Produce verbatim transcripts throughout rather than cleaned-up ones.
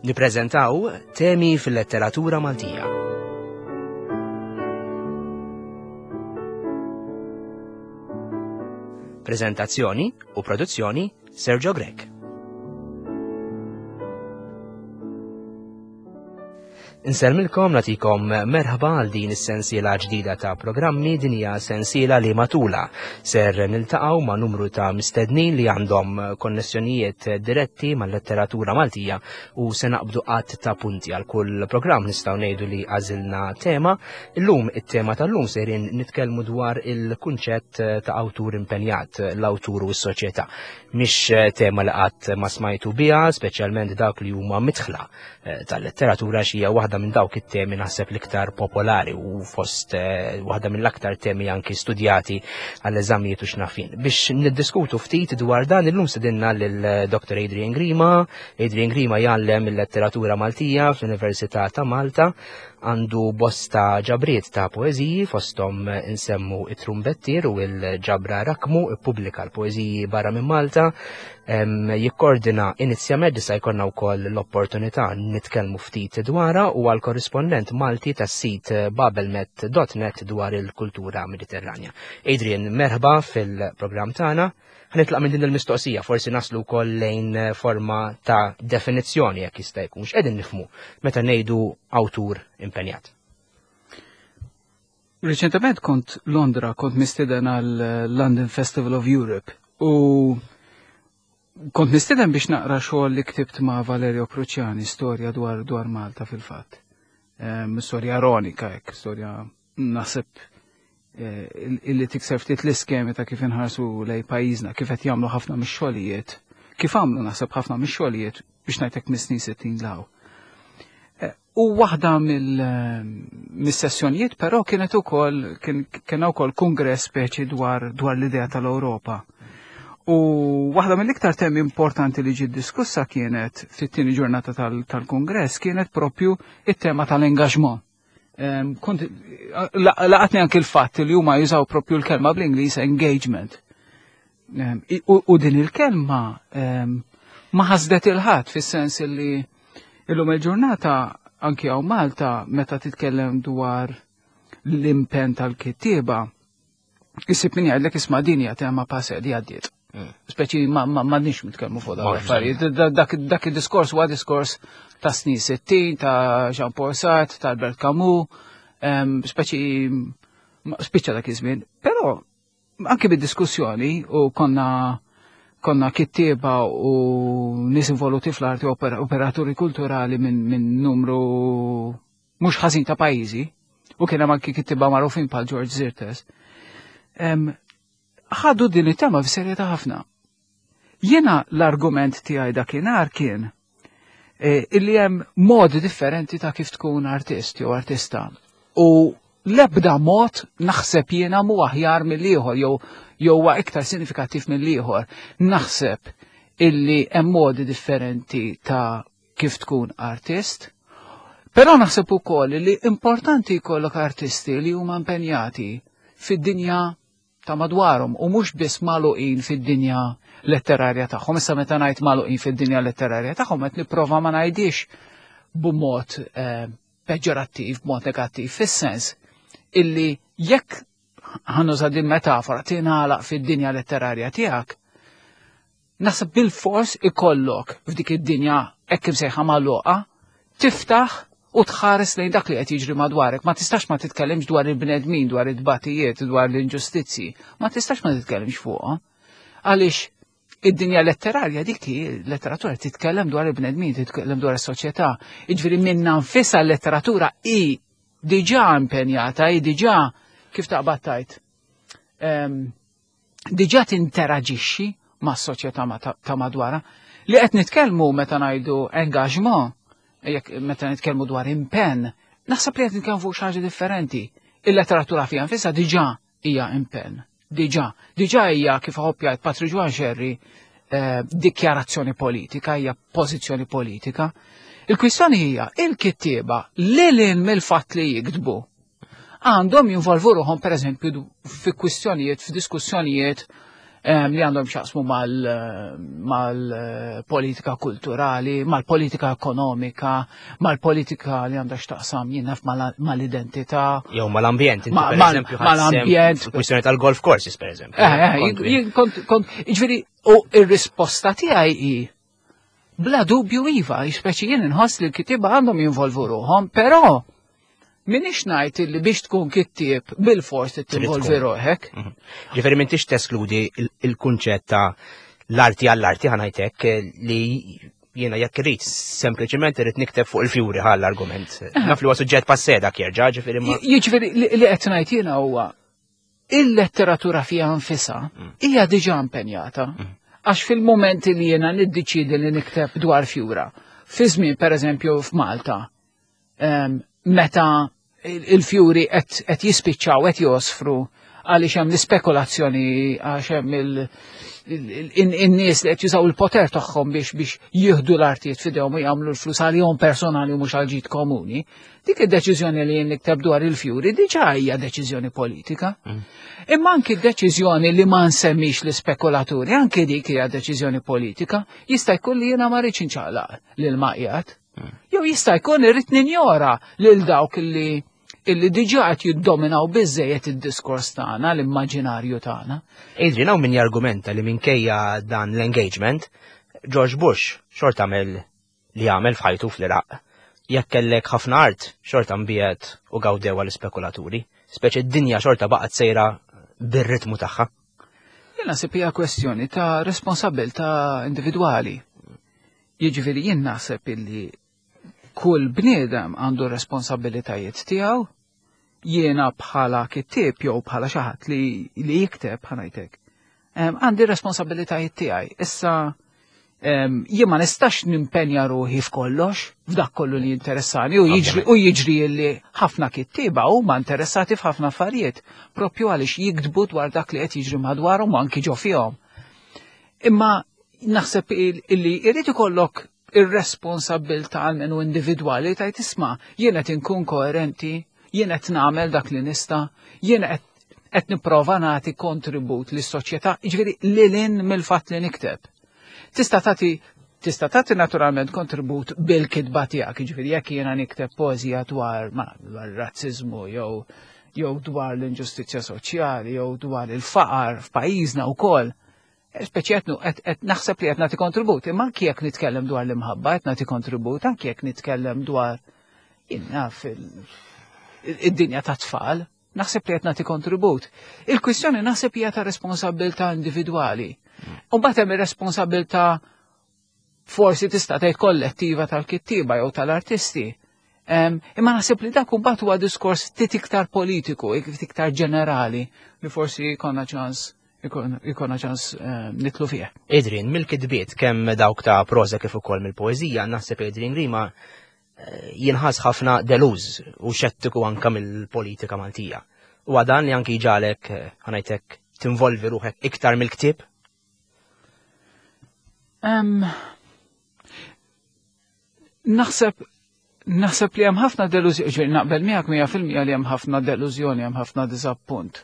Nippreżentaw temi fil-letteratura Maltija. Prezentazzjoni u produzzjoni Sergio Grech. Insellmilkom, nagħtikom merħba għal din is-sensiela ġdida ta' programmi. Din hija sensiela li matula ser niltaqgħu ma' numru ta' mistednin li għandhom konnessjonijiet diretti mal-letteratura Maltija u se naqbdu qatt ta' punti. Għal kull programm nistgħu ngħidu li għażilna tema. Illum it-tema tal-lum sejrin nitkellmu dwar il-kunċett ta' awtur impenjat, l-awtur u s-soċjetà. Mhix tema li qatt ma smajtu biha, speċjalment dawk li huma midħla tal-letteratura, xi waħda minn dawk it-temi naħseb l-iktar popolari u fost waħda mill-aktar temi anki studjati għall-eżamijiet u x'nafin. Biex niddiskutu ftit dwar dan illum sedinna lil Doctor Adrian Grima. Adrian Grima jgħallem il-letteratura Maltija fl-Università ta' Malta, għandu bosta ġabriet ta' poeżiji, fosthom insemmu it-Trumbettier u l-ġabra Rakmu, ippubblika l-poeżiji barra minn Malta, jikkordina Inizjamed, issa jkollna wkoll l-opportunità nitkellmu ftit dwarha, u għal korrispondent Malti tas-sit babelmet dot net dwar il-kultura Mediterranja. Adrian, merħba fil-programm tagħna. Ħanitlaq minn din il-mistoqsija, forsi naslu wkoll lejn forma ta' definizzjoni jekk jista' jkun. X'qegħdin nifhmu meta ngħidu awtur impenjat? Reċentement kont Londra, kont mistieden għal London Festival of Europe u kont mistieden biex naqra xogħol li ktibt ma' Valerio Cruciani, storja dwar, dwar Malta fil-fatt. Um, storja ironika hekk, storja naħseb illi tikser ftit l-iskemi ta' kif inħarsu lej pajjiżna, kif qed jagħmlu ħafna mix-xogħlijiet, kif għamlu naħseb ħafna mix-xogħlijiet biex ngħidlek mis-snin sittin law. U waħda mill-sessjonijiet però kienet ukoll kien ukoll kongress speċi dwar dwar l-idea tal-Ewropa. U waħda mill-iktar temi importanti li ġiet diskussa kienet fit-tieni ġurnata tal-kongress kienet propju it-tema tal-engagement. Kont laqatni anki l-fatt li huma jużaw propju l-kelma bl-Ingliż engagement. U din il-kelma ma ħasdet il-ħadd fis-sens li illum il-ġurnata anki hawn Malta meta titkellem dwar l-impenn tal-kittieba, isib min jgħidlek isma' din hija tema passe li għaddiet. Speċi ma m'għandniex nitkellmu fuq dawn l-affarijiet. Dak id-diskors huwa diskors ta' snin sittin, ta' Jean-Paul Sartre, ta' Albert Camus, speċi spiċċa dak iż-żmien. Però anke bid-diskussjoni u konna konna kittieba u nies involuti fl-arti, operaturi kulturali minn min numru mhux ħażin ta' pajjiżi, u kien hemm anki kittieba magħrufin bħal George Szirtes. Ħadu din it-tema f'serjetà ħafna. Jiena l-argument tiegħi dakinhar kien illi hemm modi differenti ta' kif tkun artist jew artista. U l-ebda mod naħseb jiena mhu aħjar mill-ieħor jew jew huwa iktar sinifikattiv mill-ieħor. Naħseb illi hemm modi differenti ta' kif tkun artist, però naħseb ukoll li importanti jkollok artisti li huma impenjati fid-dinja ta' madwarhom u mhux biss magħluqin fid-dinja letterarja tagħhom. Issa meta ngħid magħluqin fid-dinja letterarja tagħhom qed nipprova ma ngħidix b'mod eh, peġġorattiv, b'mod negattiv, fis-sens illi jekk ħanuża din metafora tingħalaq fid-dinja letterarja tiegħek, naħseb bil-fors ikollok f'dik id-dinja hekk imsejħa magħluqa tiftaħ u tħares lejn dak li qed jiġri madwarek. Ma tistax ma titkellimx dwar il-bnedmin, dwar it-tbatijiet, dwar l-inġustizzji, ma tistax ma titkellimx fuqha. Għaliex id-dinja letterarja dik hi, letteratura titkellem dwar il-bnedmin, titkellem dwar is-soċjetà. Jiġifieri minnha nfisha l-letteratura hi diġà impenjata, hi diġà kif taqbad tajt, diġà tinteraġixxi mas-soċjetà ta' madwarha. Li qed nitkellmu meta ngħidu engagement, jekk meta nitkellmu dwar impenn, naħseb li qed nitkellmu fuq xi ħaġa differenti. Il-letteratura fiha nfisha diġà hija impenn. Diġà, diġà hija kif ħobb jgħid Patri Ġwann Xerri, eh, dikjarazzjoni politika, hija pożizzjoni politika. Il-kwistjoni hija il-kittieba lil hinn mill-fatt li jiktbu għandhom jinvolvu ruħhom pereżempju fi kwistjonijiet, f'diskussjonijiet li għandhom x'jaqsmu mal-politika kulturali, mal-politika ekonomika, mal-politika li għandha x'taqsam, jien naf, mal-identità. Jew mal-ambjent, per mal-ambjent. Kwistjoni tal-golf courses, per eżempju. Eh, kont, kont, ġifieri, u ir-risposta tiegħi hi bla dubju iva, speċi jien inħoss li l-kittieba għandhom jinvolvu ruħhom, però m'iniex ngħid li biex tkun kittieb bil-fors tinvolvi ruħek. Mhm. Ġifieri m'intix teskludi il-kunċett ta' l-arti għall-arti, ħa ngħidlek, li jiena jekk irrid sempliċement irrid nikteb fuq il-fjuri ħall argument. Eh. Naf li huwa suġġett passé dak jerġa', ġifieri ma. Jiġifieri li qed ngħid jiena huwa il-letteratura fiha nfisha mm. hija diġà impenjata. Mm. Għax fil-moment li jiena niddeċidi li nikteb dwar fjura, fi żmien, pereżempju, f'Malta, meta il-fjuri qed jispiċċaw, qed josfru għaliex hemm l-ispekulazzjoni, għax hemm in-nies li qed jużaw il-poter tagħhom biex biex jieħdu l-artijiet f'idejhom u jagħmlu l-flus għalihom personali u mhux għal ġid komuni. Dik id-deċiżjoni li jien nikteb dwar il-fjuri diġà hija deċiżjoni politika. Mm. Imma anki d-deċiżjoni li ma nsemmix l-ispekulaturi, anki dik hija deċiżjoni politika. Jista' jkun li jiena ma rridx inċaqlaq lil maqjat. Mm. Jew jista' jkun irrid ninjora lil dawk li illi diġà qed jiddominaw biżejjed id-diskors tagħna, l-immaġinarju tagħna. Adrian, hawn min jargumenta li minkejja dan l-engagement, George Bush xorta għamel li għamel f'ħajtu fl-Iraq. Jekk kellek ħafna art, xorta nbiegħet u gawdew l-ispekulaturi. Speċi d-dinja xorta baqgħet sejra bir-ritmu tagħha. Jien naħseb hija kwestjoni ta' responsabilità individwali. Jiġifieri jien naħseb illi kull bniedem għandu responsabilitajiet tiegħu. Jiena bħala kittieb jew bħala xi ħadd li, li jikteb, ħa ngħidlek, għandi responsabilitajiet tiegħi. Issa jien ma nistax nimpenja ruħi f'kollox, f'dak kollu li interessani, u jiġri u jiġri li ħafna kittieba huma interessati f'ħafna affarijiet, propju għaliex jiktbu dwar dak li qed jiġri madwarhom u anki ġo fihom. Imma naħseb illi jrid ikollok ir-responsabilità għalmenu individwali tgħid, "Isma', jien qed inkun koerenti, jien qed nagħmel dak li nista', jien qed qed nipprova nagħti kontribut lis-soċjetà", jiġifieri lil mill-fatt li nikteb. Tista' tagħti tista' tagħti naturalment kontribut bil-kitba tiegħek, jiġifieri jekk jiena nikteb poeżija dwar ma dwar razziżmu jew jew dwar l-inġustizzja soċjali jew dwar il-faqar f'pajjiżna wkoll. Speċi qed naħseb li qed nagħti kontribut, imma anki jekk nitkellem dwar l-imħabba qed nagħti kontribut, anki jekk nitkellem dwar, jien naf, id-dinja ta' tfal, naħseb li qed nagħti kontribut. Il-kwistjoni naħseb hija ta' responsabilità individwali. U mbagħad hemm ir-responsabilità forsi tista' tgħid kollettiva tal-kittieba jew tal-artisti. Imma naħseb li dak mbagħad huwa diskors ftit iktar politiku, iktar ġenerali, li forsi jkollna ċans ikonna ċans nidħlu fih. Adrian, mill-kitbiet kemm dawk ta' proza kif ukoll mill-poeżija, naħseb Adrian Grima eh, jinħass ħafna deluż u xettiku anka mill-politika Maltija. U għadan li anki ġalek, eh, ħa ngħidlek, tinvolvi ruħek iktar mill-ktib? Um, naħseb naħseb li hemm ħafna delużjoni, ġifieri naqbel miegħek mija fil-mija li hemm ħafna delużjoni, hemm ħafna diżappunt.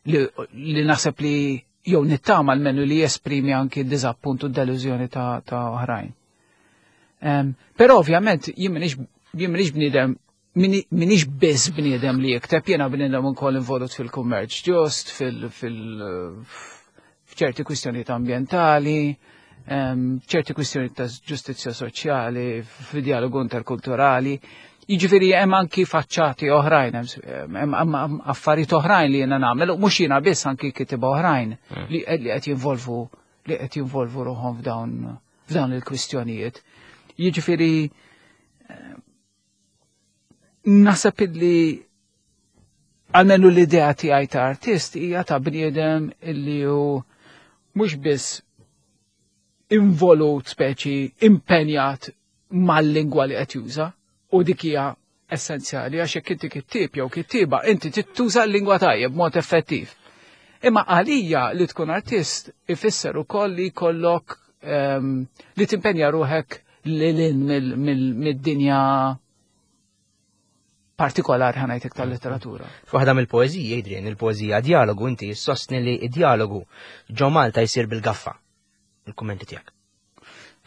Li, li naħseb li jew nittama almenu li jesprimi anki diżappunt u delużjoni ta', ta oħrajn. Um, però ovvjament jien m'iniex jien m'iniex bniedem m'iniex biss bniedem li jikteb, jiena bniedem ukoll involut fil-kummerċ ġust, fil-, fil f'ċerti kwistjonijiet ambjentali, ċerti kwistjoni ta' ġustizzja soċjali, fid-dialogu interkulturali. Jiġifieri hemm anki faċċati oħrajn, hemm affarijiet oħrajn li jiena nagħmel, u mhux jiena biss, anki kittieba oħrajn mm. li qed jinvolvu li qed jinvolvu ruħhom f'dawn f'dawn il-kwistjonijiet. Jiġifieri naħseb li għalmenu l-idea tiegħi ta' artist hija ta' bniedem illi hu mhux biss involut, speċi impenjat mal-lingwa li qed juża, u dik hija essenzjali għax jekk inti kittieb jew kittieba, inti tittuża l-lingwa tajjeb b'mod effettiv. Imma għalija li tkun artist ifisser ukoll li jkollok um, li timpenja ruħek lil mid-dinja partikolari, ħa ngħidlek, tal-letteratura. F'waħda mill-poeżiji, Adrian, il-poeżija "Dialogu", inti sostni li id-dialogu ġo Malta jsir bil-gaffa. Il-kummenti tiegħek.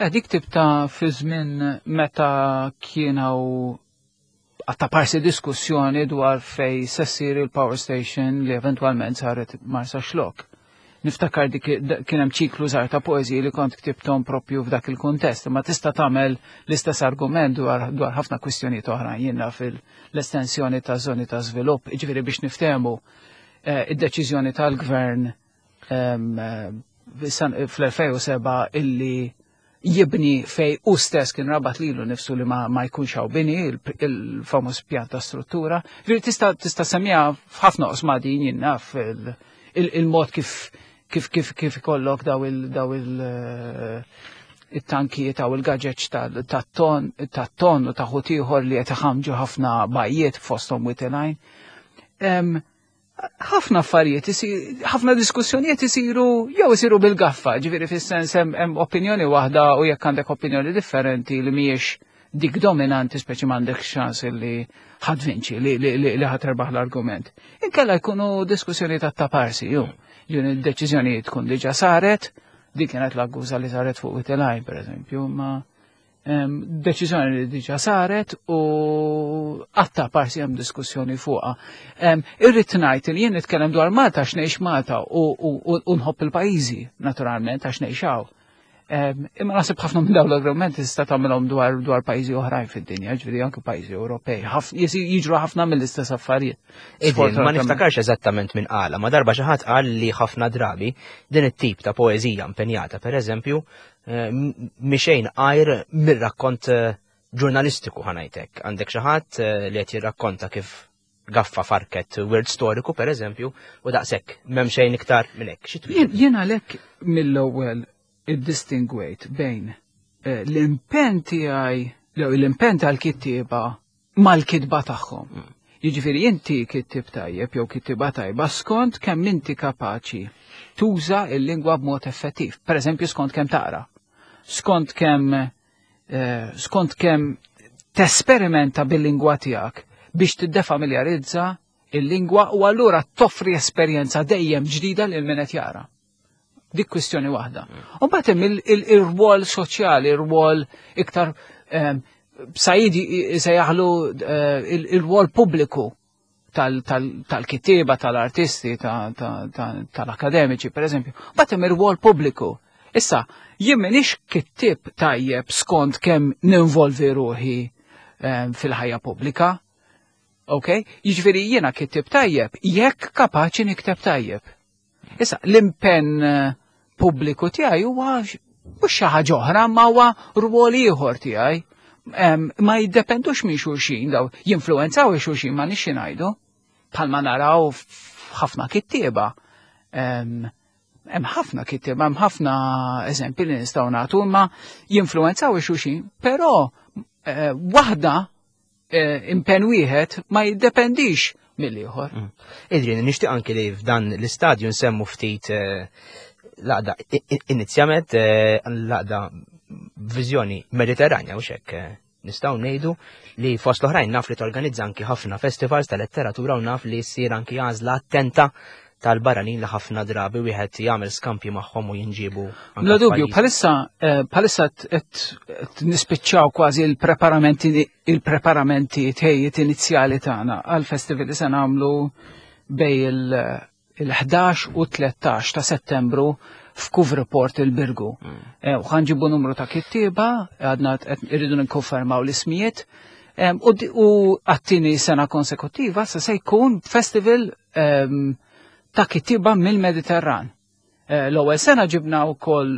Eh, dik ktibtha fi żmien meta kienu għatta parsi diskussjoni dwar fej se ssir il-power station li eventualment saret Marsaxlokk. Niftakar dik kien hemm ċiklu żgħar ta' poeżiji li kont ktibthom propju f'dak il-kuntest, ma tista' tagħmel l-istess argument dwar dwar ħafna kwistjonijiet oħrajn, jiena fil-estensjoni ta' żoni ta' żvilupp, jiġifieri biex niftehmu eh, id-deċiżjoni tal-gvern em, eh, fl-elfejn u sebgħa illi jibni fej u stess kien rabat lilu nifsu li ma, ma jkunx hawn bini, il-famuż pjan ta' struttura. Ġifieri tista' tista' semmiha f'ħafna oqsma din, jien naf, il-mod kif kif kif kif ikollok daw il daw il eh, it-tankijiet aw il-gaġeġ tat-ton tat-ton u ta' ieħor li qed iħamġu ħafna bajjiet, fosthom Wied il-Għajn. Ħafna affarijiet, ħafna diskussjonijiet isiru jew isiru bil-gaffa, ġifieri fis-sens hemm opinjoni waħda u jekk għandek opinjoni differenti li mhijiex dik dominanti, speċi m'għandek ċans li ħa tvinċi, li, li, li, li ħa terbaħ l-argument. Inkella jkunu diskussjoni ta' taparsi, ju. Ġun id-deċiżjoni tkun diġa saret, dik kienet l-akkuża li saret fuq Wied il-Għajn, per eżempju, ma deċiżjoni li diġa saret u għatta parsi hemm diskussjoni fuqha. Irrid ngħid li jien nitkellem dwar Malta għax ngħix Malta u nħobb il-pajjiżi, naturalment, għax ngħix hawn. Imma naħseb ħafna minn dawn l-argumenti tista' tagħmilhom dwar dwar pajjiżi oħrajn fid-dinja, ġifieri anke pajjiżi Ewropej. Jiġru ħafna mill-istess affarijiet. Ma niftakarx eżattament minn qala, ma darba xi ħadd qal li ħafna drabi din it-tip ta' poeżija impenjata, pereżempju, eh, mixejn għajr mir-rakkont eh, ġurnalistiku, ħa ngħidlek. Għandek xi ħadd eh, li qed jirrakkonta kif gaffa farket wirt storiku, per eżempju, u daqshekk, m'hemm xejn iktar minn hekk. Jien għalhekk mill-ewwel iddistingwejt bejn eh, l-impenn tiegħi, l-impenn tal-kittieba mal-kitba tagħhom. Mm. Jiġifieri inti kittib tajjeb jew kittiba tajba skont kemm inti kapaċi tuża il-lingwa b'mod effettiv. Per eżempju, skont kemm taqra. Skont kemm eh, skont kemm tesperimenta bil-lingwa tiegħek biex tiddefamiljarizza il-lingwa u allura toffri esperjenza dejjem ġdida lil min qed jara. Dik kwistjoni waħda. U mbagħad hemm il-rwol soċjali, il-rwol iktar Said sejjaħlu eh, il-rwol pubbliku tal-kittieba, tal-artisti, tal-akademiċi, per eżempju. Mbagħad hemm ir-rwol pubbliku. Issa, jien m'iniex kittib tajjeb skont kemm ninvolvi ruħi fil-ħajja pubblika. Ok? Jiġifieri jiena kittib tajjeb jekk kapaċi nikteb tajjeb. Issa, l-impenn eh, pubbliku tiegħi huwa mhux xi ħaġa oħra, ma huwa rwol ieħor tiegħi. Ma jiddependux minn xulxin daw, jinfluwenzaw xulxin, ma nix ngħidu. Bħalma naraw f'ħafna kittieba. Hemm ħafna kittieba, hemm ħafna eżempji li nistgħu nagħtu, imma jinfluwenzaw xulxin, però eh, waħda eh, impenn wieħed ma jiddependix mill-ieħor. Mm. Adrian, nixtieq anki li f'dan l-istadju nsemmu ftit eh, l-għaqda Inizjamed, l-għaqda Viżjoni Mediterranja, u xek nistgħu ngħidu li fost l-oħrajn naf li torganizza anki ħafna festivals ta' letteratura u naf li ssir anki għażla attenta tal-barranin li ħafna drabi wieħed jagħmel skampji magħhom u jinġibu. Bla dubju, bħalissa eh, bħalissa qed nispiċċaw kważi il-preparamenti il-preparamenti tejjiet inizjali tagħna għal-festival li se nagħmlu bejn il-ħdax u tlettax ta' Settembru f'Couvre-Port il-Birgu. Mm. Eh, u ħa nġibu numru ta' kittieba, għadna irridu nikkonfermaw l-ismijiet, u għat-tieni sena konsekutiva se se jkun festival ta' kittieba mill-Mediterran. Eh, l-ewwel sena ġibna wkoll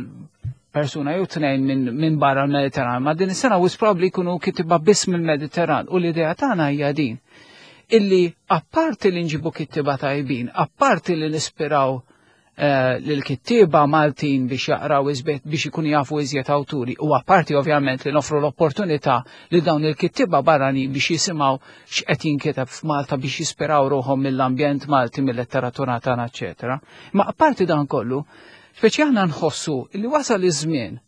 persuna jew tnejn minn barra l-Mediterran, ma din is-sena wis probably jkunu kittieba biss mill-Mediterran u l-idea tagħna hija din illi apparti li nġibu kittieba tajbin, apparti li nispiraw eh, lil-kittieba Maltin biex jaqraw iżjed, biex ikun jafu iżjed awturi, u apparti ovvjament li nofru l-opportunità li dawn il-kittieba barrani biex jisimgħu x'qed jinkiteb f'Malta, biex jispiraw ruħhom mill-ambjent Malti, mill-letteratura tagħna, eċetera. Ma apparti dan kollu, speċi aħna nħossu li wasal iż-żmien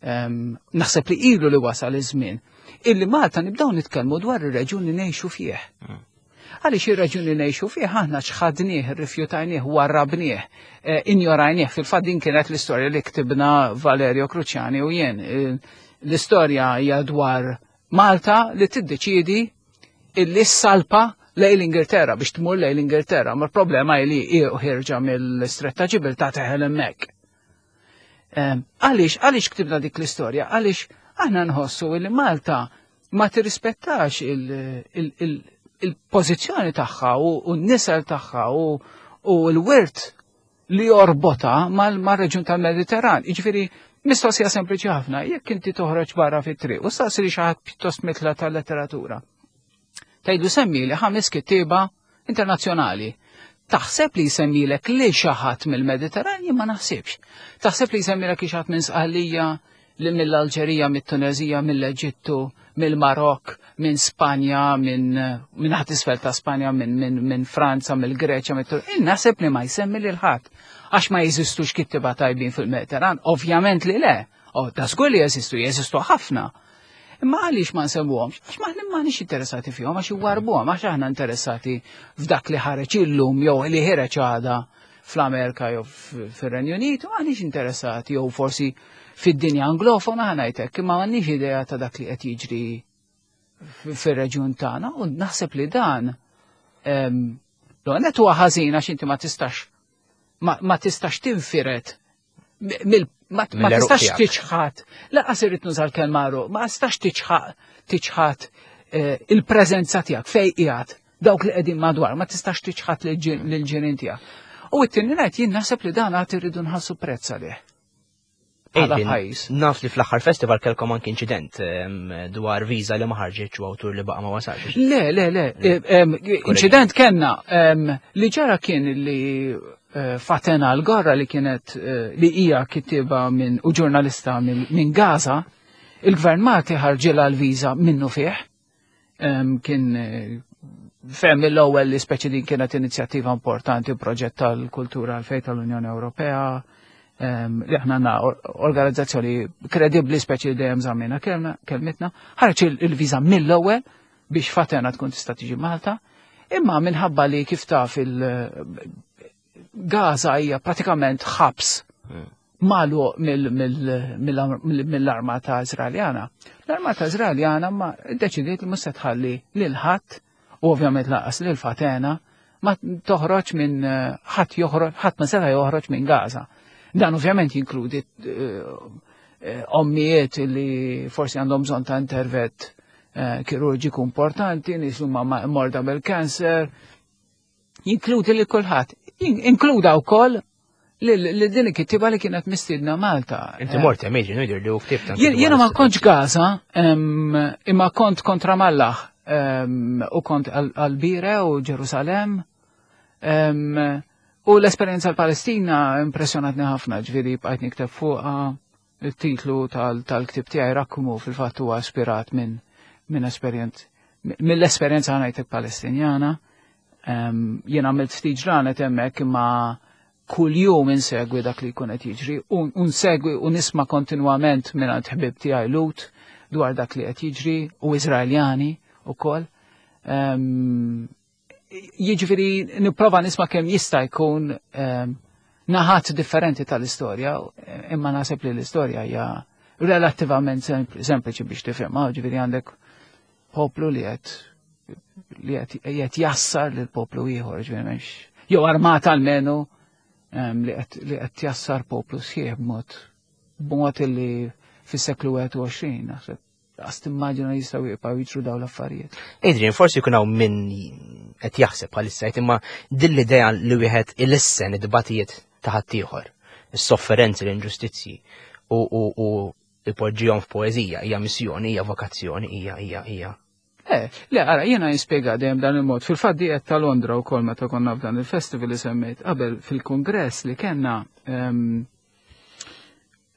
Naħseb li ilu li wasal iż-żmien illi Malta nibdew nitkellmu dwar ir-reġjun li ngħixu fih. Mm. Għaliex ir-reġjun li ngħixu fih aħna ċħadnieh, rrifjutajnieh, warrabnieh, eh, injorajnieh. Fil-fatt din kienet l-istorja li ktibna Valerio Cruciani u jien. Eh, l-istorja hija dwar Malta li tiddeċiedi illi ssalpa lejn l-Ingilterra biex tmur lejn l-Ingilterra, ma l-problema li hi ħierġa mill-Istretta Ġibiltà teħel hemmhekk. Għaliex, għaliex ktibna dik l-istorja? Għaliex aħna nħossu li Malta ma tirrispettax il-pożizzjoni tagħha u n-nisel tagħha u l-wirt li jorbotha mal-reġjun tal-Mediterran. Jiġifieri, mistoqsija sempliċi ħafna, jekk inti toħroġ barra fit-triq u staqsi li xi ħadd pjuttost mitla tal-letteratura. Tgħidlu semmi li ħames kittieba internazzjonali. Taħseb li jsemmilek li xi ħadd mill-Mediterran? Jien ma naħsibx. Taħseb li jsemmilek xi ħadd minn Sqallija, li mill-Alġerija, mit-Tunezija, mill-Eġittu, mill-Marok, minn Spanja, minn minn ħadd isfel ta' Spanja, minn min, min Franza, mill-Greċja, mill Naħseb li ma jsemmi lil ħadd. Għax ma jeżistux kittiba tajbin fil-Mediterran? Ovvjament li le. Oh, ta' żgur li jeżistu, jeżistu ħafna. Imma għaliex ma nsemmuhomx? Għax ma m'aħniex interessati fihom, għax iwarbuhom, għax aħna interessati f'dak li ħareġ illum jew li ħareġ għada fl-Amerika jew fir-Renju Unit, m'aħniex interessati jew forsi fid-dinja anglofona ħa ngħidlek, imma m'għandniex idea ta' dak li qed jiġri fir-reġjun tagħna u naħseb li dan l-għanet huwa ħażin għax inti ma tistax ma tistax tinfiret mill ma tistax tiċħat, lanqas irrid nuża l-kelma ma tistax tiċħat eh, il-preżenza tiegħek fej qiegħed dawk li qegħdin madwar, ma tistax tiċħat lill-ġirien tiegħek. U t-tieni ngħid jien naħseb li dan għad irridu nħallsu prezz għalih. Naf li fl-aħħar festival kellkom anki inċident dwar viża li ma ħarġitx u awtur li baqa' ma wasalx. Le, le, le, inċident kellna li ġara kien li eh, Fatena Al-Gorra li kienet eh, li hija kittiba minn u ġurnalista minn Gaza, il-gvern Malti ħarġilha l-viża minnu fih. Kien eh, fehem mill-ewwel li speċi din kienet inizjattiva importanti u proġett tal-kultura għal tal-Unjoni Ewropea li aħna għandna organizzazzjoni kredibbli speċi dejjem żammejna kelmitna, ħareġ il-viża mill-ewwel biex Fatena tkun tista' tiġi Malta, imma minħabba li kif taf il-Gaza hija pratikament ħabs hmm. magħluq mill-armata Izraeljana. L-armata Izraeljana ma deċidiet li mhux se tħalli lil ħadd u ovvjament lanqas lil Fatena ma toħroġ minn ħadd joħroġ ħadd ma seta' joħroġ minn Gaza. Dan ovvjament jinkludi eh, eh, ommijiet li forsi għandhom bżonn ta' intervent eh, kirurġiku importanti, nies huma morda bil-kanser, jinkludi li kulħadd. Inkluda wkoll li din il-kittiba li kienet mistiedna Malta. Inti mort hemm jiġri li u ktibt. Jiena ma kontx Gaza, imma kont kontra Mallah u kont għal-Bire u Ġerusalem. U l-esperjenza l-Palestina impressjonatni ħafna, ġifieri bqajt nikteb fuqha, il-titlu tal-ktib tiegħi Rakkumu fil-fatt huwa ispirat minn minn esperjenz mill-esperjenza ħa ngħidlek Palestinjana. Jien għamilt ftit ġranet hemmhekk imma kull jum insegwi dak li jkun qed jiġri u nsegwi u nisma' kontinwament minn ħbib tiegħi Lhud dwar dak li qed jiġri u Iżraeljani ukoll. Jiġifieri nipprova nisma' kemm jista' jkun naħat differenti tal-istorja, imma naħseb li l-istorja hija relattivament sempliċi biex tifhimha, ġifieri għandek poplu li qed li qed jassar lil poplu ieħor, ġifieri m'hemmx jew armata almenu li qed jassar poplu sħiħ b'mod b'mod li fis-seklu wieħed u għoxrin naħseb għast timmaġina jistgħu jibqgħu jiġru dawn l-affarijiet. Adrian, forsi jkun hawn min qed jaħseb bħalissa imma din l-idea li wieħed ilissen id-dbatijiet ta' ħaddieħor, is-sofferenzi, l-inġustizzji u u u ipoġġihom f'poeżija hija missjoni, hija vokazzjoni, hija hija hija. Le, le, ara, jiena jispjega dejjem dan il-mod. Fil-fatt diet ta' Londra wkoll meta konna f'dan il-festival li semmejt qabel fil-kongress li kellna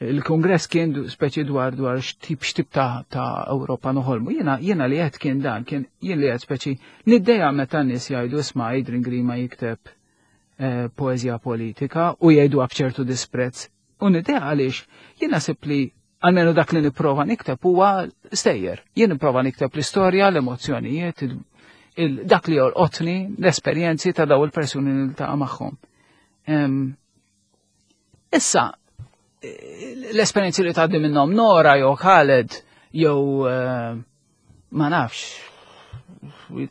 il-kongress kien speċi dwar dwar x'tip x'tip ta' ta' Ewropa noħolmu. Jiena jiena li qed kien dan, kien jien li qed speċi niddejjaq meta nies jgħidu isma' Adrian Grima jikteb eh, poeżija politika u jgħidu b'ċertu disprezz. U niddejjaq għaliex jien naħseb li Almenu dak li nipprova nikteb huwa stejjer. Jien nipprova nikteb l-istorja, l-emozzjonijiet, dak li jolqotni, l-esperjenzi ta' daw il-persuni li niltaqa' magħhom. Issa, l-esperjenzi li tgħaddi minnhom Nora jew Khaled jew eh, ma nafx,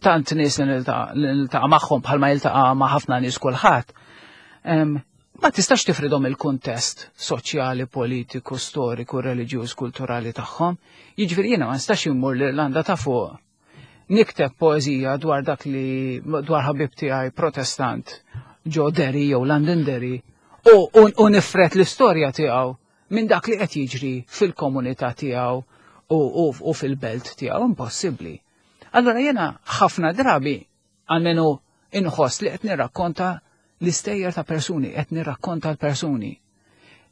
tant nies li niltaqa' magħhom bħalma jiltaqa' ma' ħafna nies kulħadd. Ma tistax tifridhom il-kuntest soċjali, politiku, storiku, reliġjuż, kulturali tagħhom. Jiġifieri jiena ma nistax immur l-Irlanda ta' fuq nikteb poeżija dwar dak li dwar ħabib tiegħi Protestant ġo Derry jew Londonderry u, u, u nifred l-istorja tiegħu minn dak li qed jiġri fil-komunità tiegħu u, u, u fil-belt tiegħu, impossibbli. Allora jiena ħafna drabi almenu inħoss li qed nirrakkonta l-istejjer ta' persuni, qed nirrakkonta l-persuni.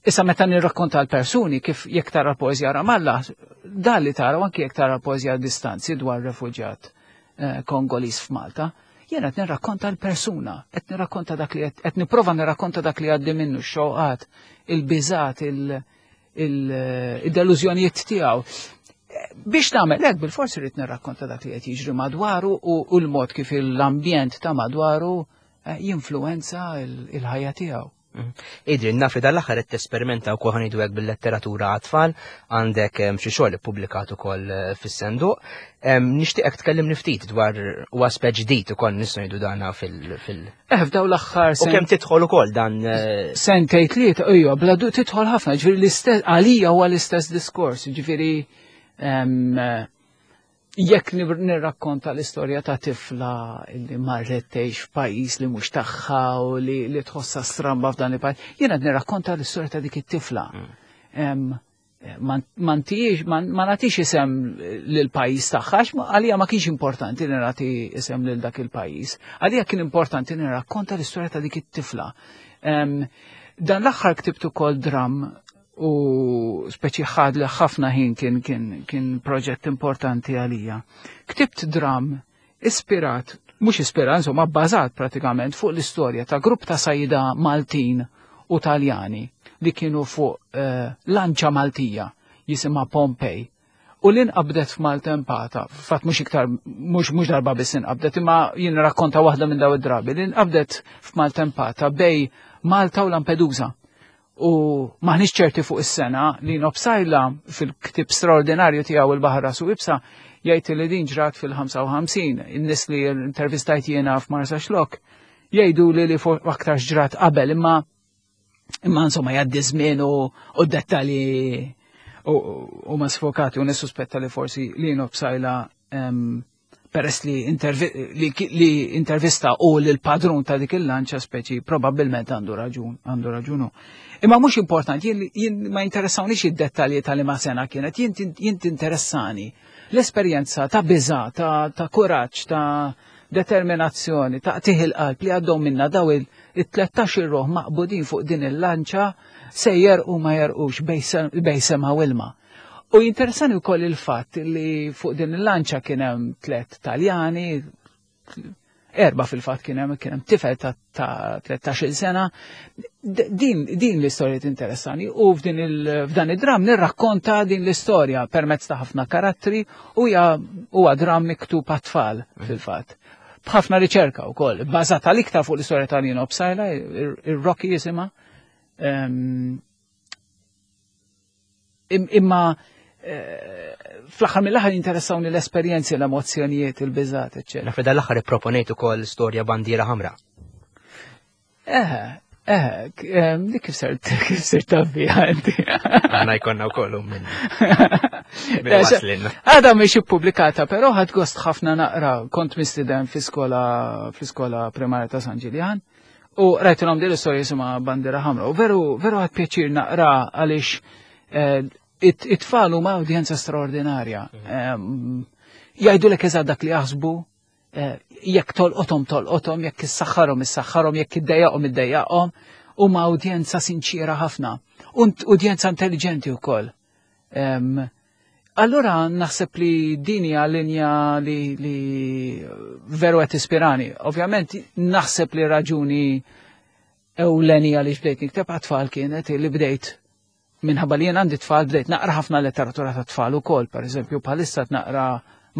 Issa meta nirrakkonta l-persuni, kif jekk tara poeżija Ramallah, dan li tara anki jekk tara poeżija Distanzi dwar refuġjat eh, Kongoliż f'Malta, jiena qed nirrakkonta l-persuna, qed nirrakkonta dak li qed nipprova nirrakkonta dak li għaddi minnu, x-xewqat, il-biżat, il-delużjonijiet tiegħu. Biex nagħmel hekk bil-forsi rrid nirrakkonta dak li qed jiġri madwaru u l-mod kif l-ambjent ta' madwaru eh, jinfluwenza il-ħajja tiegħu. Mhm. Adrian, naf li dal-aħħar qed tesperimenta wkoll, ħa ngħidu hekk, bil-letteratura għat-tfal, għandek xi xogħol ippubblikat ukoll eh, fis-senduq. Nixtieqek tkellimni ftit dwar u aspett ġdid ukoll nistgħu ngħidu dana fil- fil- Eh, f'daw l-aħħar U kemm tidħol ukoll dan eh, sentejn tlieta, ejja, bla du tidħol ħafna, ġifieri l-istess għalija huwa l-istess diskors, ġifieri jekk nirrakkonta l-istorja ta' tifla li marret tgħix f'pajjiż li mhux tagħha u li, li tħossha stramba f'dan il-pajjiż, jiena qed nirrakkonta l-istorja ta' dik it-tifla. Ma ma nagħtix isem lil pajjiż tagħha, għax għalija ma kienx importanti li nagħti isem lil dak il-pajjiż. Għalija kien importanti li nirrakkonta l-istorja ta' dik it-tifla. Dan l-aħħar ktibt ukoll dram u speċi ħad li ħafna ħin, kien kien kien proġett importanti għalija. Ktibt dram ispirat, mhux ispirat, insomma bbażat pratikament fuq l-istorja ta' grupp ta' sajda Maltin u Taljani li kienu fuq uh, lanċa Maltija jisimha Pompej u li nqabdet f'maltempata, fatt mhux iktar, mhux mhux darba biss inqabdet, imma jien rakkonta waħda minn daw id-drabi, li nqabdet f'maltempata bejn Malta u Lampedusa. U maħniex ċerti fuq is-sena. Lino Psaila fil-ktib straordinarju tiegħu Il-Baħar Rasu Iebsa jgħid li din ġrat fil-ħamsa u ħamsin. In-nies li intervistajt jiena f'Marsaxlokk jgħidu li li fuq aktar ġrat qabel, imma imma insomma jgħaddi żmien u u dettalji u ma sfokati u nissuspetta li forsi Lino Psaila em, peress li, intervi li, li intervista u l-padrun ta' dik il-lanċa speċi probabbilment għandu raġun, għandu raġunu. Imma mhux importanti, jien, jien ma jinteressawnix id-dettalji tal ma sena kienet, jien jien tinteressani l-esperjenza ta' biża, ta', ta' kuraġġ, ta' determinazzjoni, ta' qtigħ il-qalb li għaddew minna daw il-tlettax ruħ maqbudin fuq din il-lanċa se jerqu ma jerqux bejn sema u ilma. U jinteressani wkoll il-fatt li fuq din il-lanċa kien hemm tlet Taljani, erba fil-fatt, kien hemm kien hemm tifel ta' ta' tlettax-il sena. D- Din, din l-istorja tinteressani u f'din il- f'dan id-dram nirrakkonta din l-istorja permezz ta' ħafna karattri u hija huwa dram miktub għat-tfal fil-fatt. B'ħafna riċerka wkoll, bbażata l-iktar fuq l-istorja ta' Lino Psaila, ir-Rocky jisimha. Em, im- Imma eh, fl-aħħar mill-aħħar jinteressawni l-esperjenzi, l-emozzjonijiet, il-biżat, eċċetera. Naf li dal-aħħar ipproponejt ukoll storja Bandiera Ħamra. Eh, eh, k- em, dik kif sirt kif sirt taf biha inti? Aħna jkollna wkoll minn minn Eh, se- waslilna. Għada mhix ippubblikata, però ħadt gost ħafna naqra, kont mistiden fi skola fi skola primarja ta' San Ġiljan u qrajtilhom din l-istorja jisimha Bandiera Ħamra. U veru veru ħadt pjaċir naqra għaliex eh, it- it-tfal huma udjenza straordinarja. Em, Jgħidulek eżatt dak li jaħsbu, eh, jekk tolqothom tolqothom, jekk issaħħarhom issaħħarhom, jekk iddejjaqhom iddejjaqhom, huma udjenza sinċira ħafna. Unt udjenza intelligenti wkoll. Em, Allura naħseb li din hija linja li, li veru qed ispirani. Ovvjament naħseb li raġuni ewlenija li bdejt nikteb għat-tfal kienet li bdejt Minħabba li jien għandi tfal bdejt naqra ħafna letteratura ta' tfal ukoll, pereżempju bħalissa naqra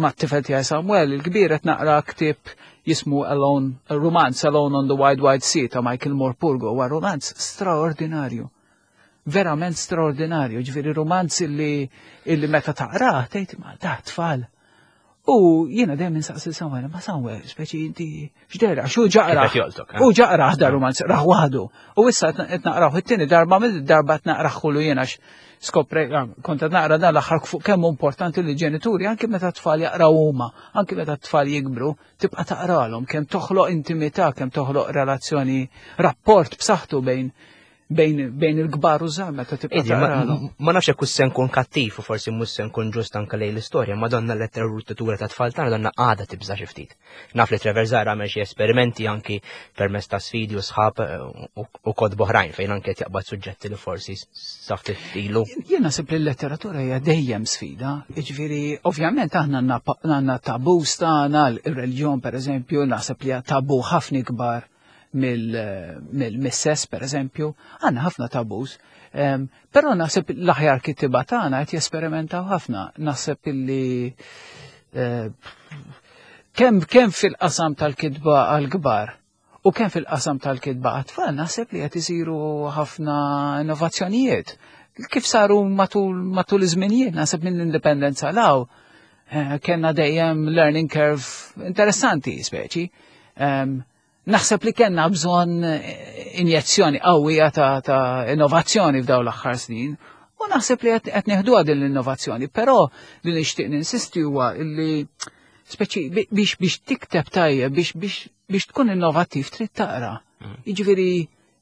mat-tifel tiegħi Samuel il-kbir qed naqra ktieb jismu Alone, Romance Alone on the Wide Wide Sea ta' Michael Morpurgo, huwa romanz straordinarju. Verament straordinarju, ġifieri romanz illi, illi meta taqrah tgħid ma da tfal. U jiena dejjem insaqsi Samuel, ma Samuel, speċi inti x'dera, xu ġaqra. Eh? U ġaqra da romanz, raħ waħdu. U issa qed naqraw it-tieni darba mill-darba qed naqraħħulu jiena skopre, ah, kont qed naqra dan l-aħħar fuq kemm importanti li ġenituri anke meta tfal jaqraw huma, anke meta tfal jikbru, tibqa' taqralhom kemm toħloq intimità, kemm toħloq relazzjoni, rapport b'saħħtu bejn bejn, bejn il-kbar u żgħar meta tibqa' taqralhom. Ma nafx hekk se nkun kattiv u forsi mhux se nkun ġust anke lejn l-istorja, ma donna l-letteratura ta' tfal tagħna donna għadha tibża' xi ftit. Naf li Trevor Zahra għamel xi esperimenti anki permezz ta' sfidi u sħab eh, u kotba oħrajn fejn anke qed jaqbad suġġetti li forsi sa ftit ilu. Jien naħseb li l-letteratura hija dejjem sfida, jiġifieri ovvjament aħna għandna tabus tagħna, ir-reliġjon pereżempju, naħseb li hija tabu ħafna ikbar mill-sess per eżempju, għandna ħafna tabus. Però naħseb l-aħjar kittiba tagħna qed jesperimentaw ħafna. Naħseb illi eh, kemm kemm fil-qasam tal-kitba għal-kbar u kemm fil-qasam tal-kitba għat-tfal naħseb li qed isiru ħafna innovazzjonijiet. Kif saru matul matul iż-żminijiet, naħseb mill-indipendenza law, eh, kellna dejjem learning curve interessanti speċi. Naħseb li kellna bżonn injezzjoni qawwija ta', ta' innovazzjoni f'dawn l-aħħar snin u naħseb li qed nieħduha din l-innovazzjoni, però li nixtieq ninsisti huwa li speċi biex biex tikteb tajjeb, biex biex biex tkun innovattiv trid taqra. Mm. Jiġifieri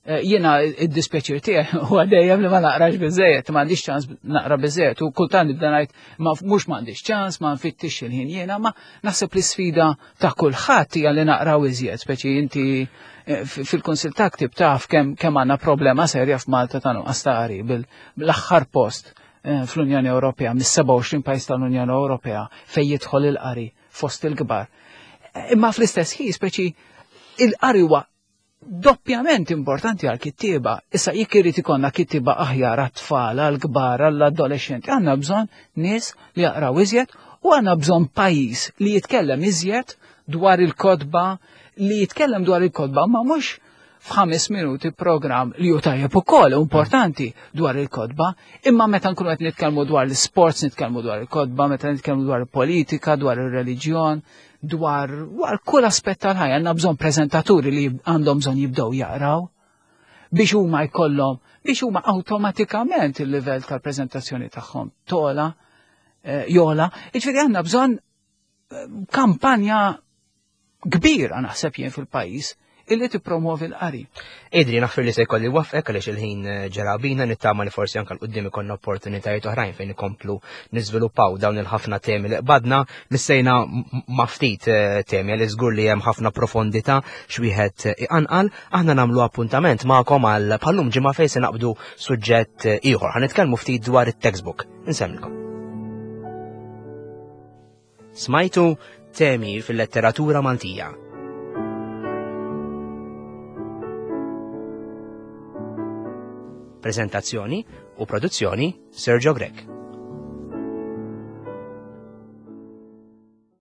eh, jiena id-dispjaċir tiegħi huwa dejjem li ma naqrax biżejjed, m'għandix ċans naqra biżejjed u kultant nibda ngħid ma mhux m'għandix ċans, ma nfittix il-ħin jiena, ma naħseb li sfida ta' kulħadd hija li naqraw iżjed, speċi inti eh, fil-Kunsil ta' Ktib taf kemm kemm għandna problema serja f'Malta ta' nuqqas ta' qari bil-aħħar post eh, fl-Unjoni Ewropea, mis-sebgħa u għoxrin pajjiż tal-Unjoni Ewropea fejn jidħol il-qari fost il-kbar. Imma fl-istess ħin speċi il-qari huwa doppjament importanti għal kittieba. Issa jekk irid ikollna kittieba aħjar għat-tfal, għall-kbar, għall-adolescenti, għandna bżonn nies li jaqraw iżjed u għandna bżonn pajjiż li jitkellem iżjed dwar il-kotba, li jitkellem dwar il-kotba, ma mhux f'ħames minuti program li hu tajjeb ukoll importanti dwar il-kotba, imma meta nkunu qed nitkellmu dwar l-sports, nitkellmu dwar il-kotba, meta nitkellmu dwar il-politika, dwar ir-reliġjon, dwar, dwar kull aspett tal-ħajja, għandna bżonn preżentaturi li għandhom bżonn jibdew jaqraw biex huma jkollhom, biex huma awtomatikament il-livell tal-preżentazzjoni tagħhom tola, eh, jola. Jiġifieri għandna bżonn eh, kampanja kbira naħseb jien fil-pajjiż illi tippromuovi l-qari. Idri, naħfir li se jkolli wafqek għaliex il-ħin eh, ġera bina, nittama li forsi anke l-qudiem ikollna opportunitajiet oħrajn fejn ikomplu niżviluppaw dawn il-ħafna temi li qbadna, missejna ma' ftit, eh, temi għalli żgur li hemm ħafna profondità x'wieħed iqanqal. Aħna nagħmlu appuntament magħkom għal bħallum ġimgħa fejn se naqbdu suġġett ieħor. Ħa nitkellmu ftit dwar it-textbook. Insemmilkom. Smajtu temi fil-letteratura Maltija. Prezentazzjoni u produzzjoni Sergio Grech.